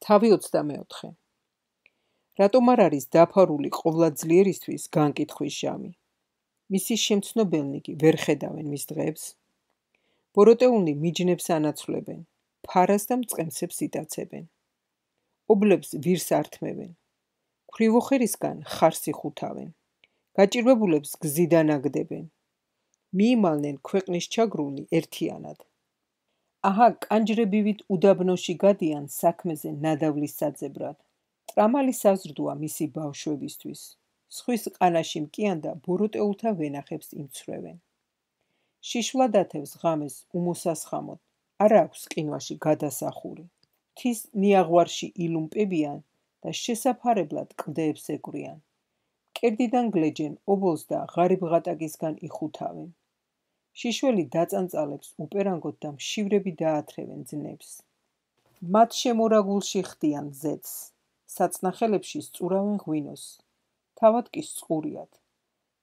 თავი 24. რატომ არ არის დაფარული ყოვლადძლიერისთვის განკითხვის ჟამი? მისი შემცნობელნი ვერ ხედავენ მის დღეებს? ბოროტეულნი მიჯნებს ანაცვლებენ, ფარას და მწყემსებს იტაცებენ. ობლებს ვირს ართმევენ, ქვრივოხერისგან ხარს იხუთავენ, გაჭირვებულებს გზიდან აგდებენ. მიიმალნენ ქვეყნის ჩაგრული ერთიანად. აჰა, კანჯრებივით უდაბნოში გადიან საქმეზე ნადავლის საძებრად. ტრამალი საზრდოა მისი ბავშვებისთვის. ზღვის ყანაში მკიან და ბოროტეულთა ვენახებს იმცრევენ. შიშვლა დათევს ღამეს უმოსასხამოდ, არა აქვს ყინვაში გადასახური. მთის ნიაღვარში ილუმპებიან და შესაფარებლად კლდეებს ეკვრიან. მკერდიდან გლეჯენ ობოლს და ღარიბ ღატაკისგან იხუთავენ. შიშველი დაწანწალებს უპერანგოთ და მშივრები დაათრევენ ძნებს. მათ შემორაგულში ხდიან ზეთს, საწნახელებში სწურავენ ღვინოს, თავად კი სწყურიათ.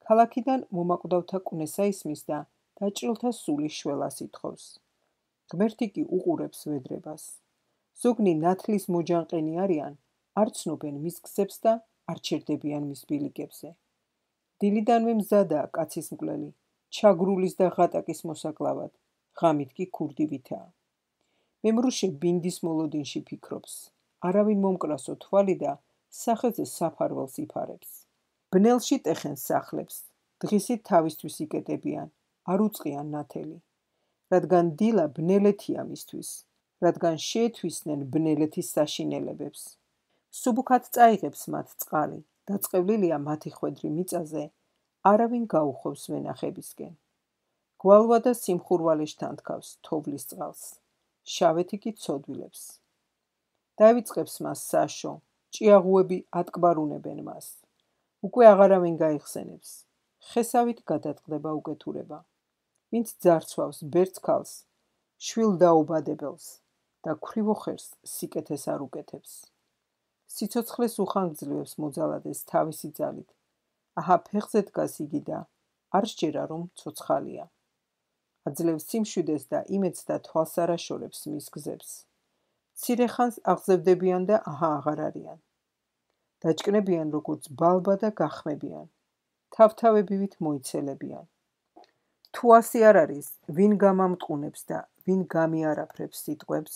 ქალაქიდან მომაკვდავთა კვნესა ისმის და დაჭრილთა სული შველას ითხოვს. ღმერთი კი უყურებს ვედრებას. ზოგნი ნათლის მოჯანყენი არიან, არ ცნობენ მის გზებს და არ ჩერდებიან მის ბილიკებზე. დილიდანვე მზადაა კაცის მკვლელი, ჩაგრულის და ღატაკის მოსაკლავად, ღამით კი ქურდივითაა. მემრუშე ბინდის მოლოდინში ფიქრობს, არავინ მომკრასო თვალი და სახეზე საფარველს იფარებს. ბნელში ტეხენ სახლებს, დღისით თავისთვის იკეტებიან, არ უწყიან ნათელი. რადგან დილა ბნელეთია მისთვის, რადგან შეეთვისნენ ბნელეთის საშინელებებს. სუბუქად წაიღებს მათ წყალი, დაწყევლილია მათი ხვედრი მიწაზე, არავინ გაუხოვს ვენახებისკენ. გვალვა და სიმხურვალეშთან თქავს თოვლის წყალს, შავეთი კი ცოდვილებს. დავიწყებს მას საშო, ჭიაღუები ატკბარუნებენ მას. უკვე აღარავინ გაიხსენებს, ხესავით გადატყდება უკეთურება. ვინც ძარცვავს ბერწ ქალს, შვილ დაუბადებელს და ქვრივოხერს სიკეთეს არ უკეთებს. სიცოცხლეს უხანგრძლივებს მოძალადეს თავისი ძალით. აჰა, ფეხზე დგას იგი და არ სჯერა რომ ცოცხალია. აძლევს სიმშვიდეს და იმედს და თვალს არ აშორებს მის გზებს. მცირე ხანს აღზევდებიან და აჰა აღარ არიან. დაჭკნებიან როგორც ბალბა და გახმებიან. თავთავებივით მოიცელებიან. თუ ასე არ არის, ვინ გამამტყუნებს და ვინ გამიარაფრებს სიტყვებს?